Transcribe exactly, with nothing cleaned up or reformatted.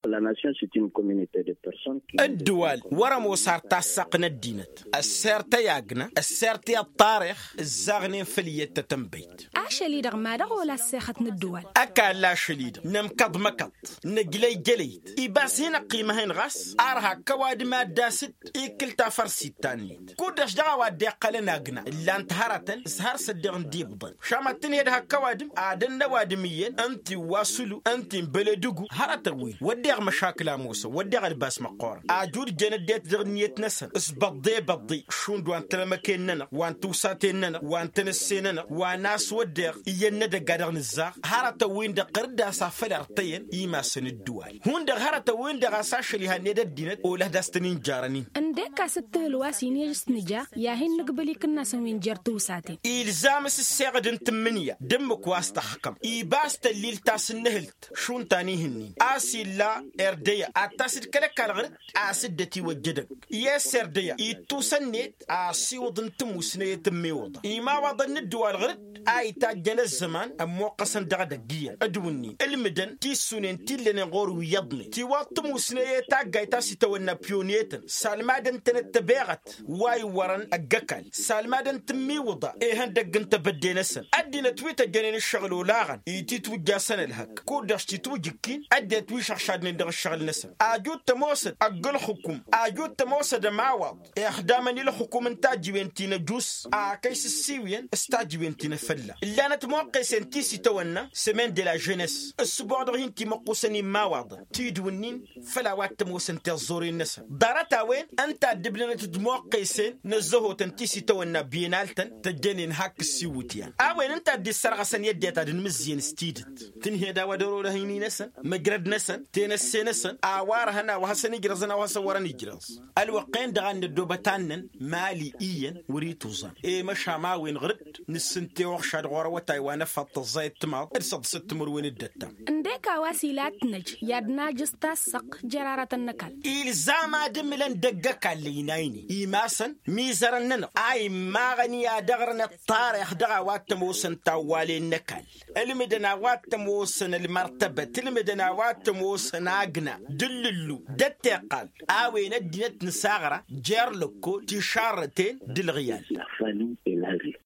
La nation s-e-t-une communauté de personnes. Ǝddǝwal wăr-ămoos ar tassăɣt n-ăddinăt. Ăssert i-agna ăssert i-ăṭṭarix ǝzzaɣnen făll-iyyăt tătănbăyt. Ašăl-i-dăɣ ma dăɣ-ola ăssexăt n-ǝddǝwal. Ăkall ašăl-i-dăɣ nǝmkăḍ măkăḍ nǝjlăy jălăyt. Ibas hin-ăqqimăhăn ɣas ar hak ăwadǝm ad-dd-asǝd ikǝl tafărsit ta-net. Kud-dăɣ dăɣ-a-wa dd-iqqălăn agna ǝllan-t hărătăn s-har s-ăddeɣ n-dd-ibḍăn. Šamăt tǝnhed hak ăwadǝm ad-ănn ăwadǝm iyyăn ǝnta iwwa sulu ǝnta inbălădǝgu. Hărătăn-win wădden măšakǝl a ămoosăn wădden ălbas măqqoorăn ajud jăn ăddinăt dăɣ-ǝnniyăt-năsăn. S-băḍḍe băḍḍe šund wa n-talămăken-nănăɣ wa n-tiwsaten-nănăɣ wa n-tenăsse-nănăɣ wa n-a-s wădden iyyăn n-edăgg a dăɣ-nǝzzaɣ. Hărătăn-win-dăɣ ɣǝr-dd a-s afăl irtăyăn imasăn ǝddǝwal. Hundăɣ hărătăn-win-dăɣ a-s ašăl ihănned ăddinăt olăh d-a-s tăn-injarăn-in. Ǝndek a-s ǝttǝhǝl wa s-inǝj s-nǝja i-ad-hin-nǝgbǝl ikǝnnasăn wi n-jer-tiwsaten. Ilzam s-ǝsseɣăd n-tǝmmǝnǝya d-ǝmmǝk wa s-tăxkăm ibas tăllilt ta s-ǝnnǝhǝlt. Šund ta n-ihǝnnin a-s illa erdăya ad-tasǝd kăl-ăkall ɣǝr-dd. A-s dd-ătiwăjja edăgg i-s erdăya ittus ănniyăt asiwǝḍ n-tămusnăyăt n-imiwǝḍa imawaḍăn n-ǝddǝwal ɣǝr-dd. A itajjăn ăzzăman ămmoqqăsăn dăɣ-edăgg iyyăn d-wǝnnin ǝlmǝdăn tissunen ti ǝllănen ɣur-wi iyyăḍnen tiwaḍ tămusnăyăt taggayt a-s itawănna piyonetăn salmadăn-tănăt tăbeɣăt. Wa iwwărăn ăgg-ăkall salmadăn-t ǝmmiwǝḍa ihăndăgg n-tebădde-năsăn. Ăddinăt wi tăjjănen ǝššăɣǝl olaɣăn ititwǝjjasăn ălhăk kud-dăɣ s-titwǝjǝkkin ăddinăt wi šăɣšadnen dăɣ-ǝššăɣǝl-năsăn. Ajud tămoosăd ăgg-ǝlxǝkum ajud tămoosăd ămawaḍ ixdamăn i-ǝlxǝkum n-tajǝwen ti n-ăjus. Akăy s-ǝssiwǝyăn s-tajǝwen ti n-afălla ǝllanăt moqqesen ti s-itawănna semaine de la jeunesse. S-ǝbboɣ dăɣ-hin-timăqqusăn immawaḍăn tidǝw-nin făll-a-wa t-ămoosăn tiẓẓuren-năsăn ḍarăt-a-wen ǝnta a dd-ǝbnănăt d-moqqesen n-ăzzăhotăn ti s-itawănna bienal-tăn. Tăjjănen hak ǝssiwǝtyan a-wen ǝnta a dd-issărɣăsăn i-ăddinăt ad-ǝnmǝzzǝyăn s-tidǝt tǝnhed a-wa dăr-olăh ini-năsăn măjrăd-năsăn tenăsse-năsăn a-wa ărhăn a-wa hasăn-ijrăẓăn a-wa hasăn-wărăn ijrăẓ. Ălwăqq-en-dăɣ a n-năddoobăt annăn mali iyyăn wăr-ituẓan i-măšan a-wen ɣǝr-dd nǝssǝnte uɣšad ɣur-awătay wa n-ăfaḍ tăẓẓayăt timaḍ d-săḍsăt timǝrwen d-ăttam. Ǝndek a-wa s-ila ad-t-năj i-ad-najǝẓ tassăɣt jer-aratăn n-ăkall. Ilzam ad-ǝmǝlăn dăgg-ăkall ăynaynen imasăn imizărăn-nănăɣ a immaɣăn i-ad-ăɣrǝn ăṭṭarix dăɣ-a-wa t-ămoosăn tawwalen n-ăkall. Ǝlmǝdăn a-wa t-ămoosăn ălmărtăbăt ǝlmǝdăn a-wa t-ămoosăn agna d-ǝllǝllu d-ăttiqqal. A-wen ăddinăt n-saɣra jer-lăkkol tišarrăten d-ǝlɣǝyal.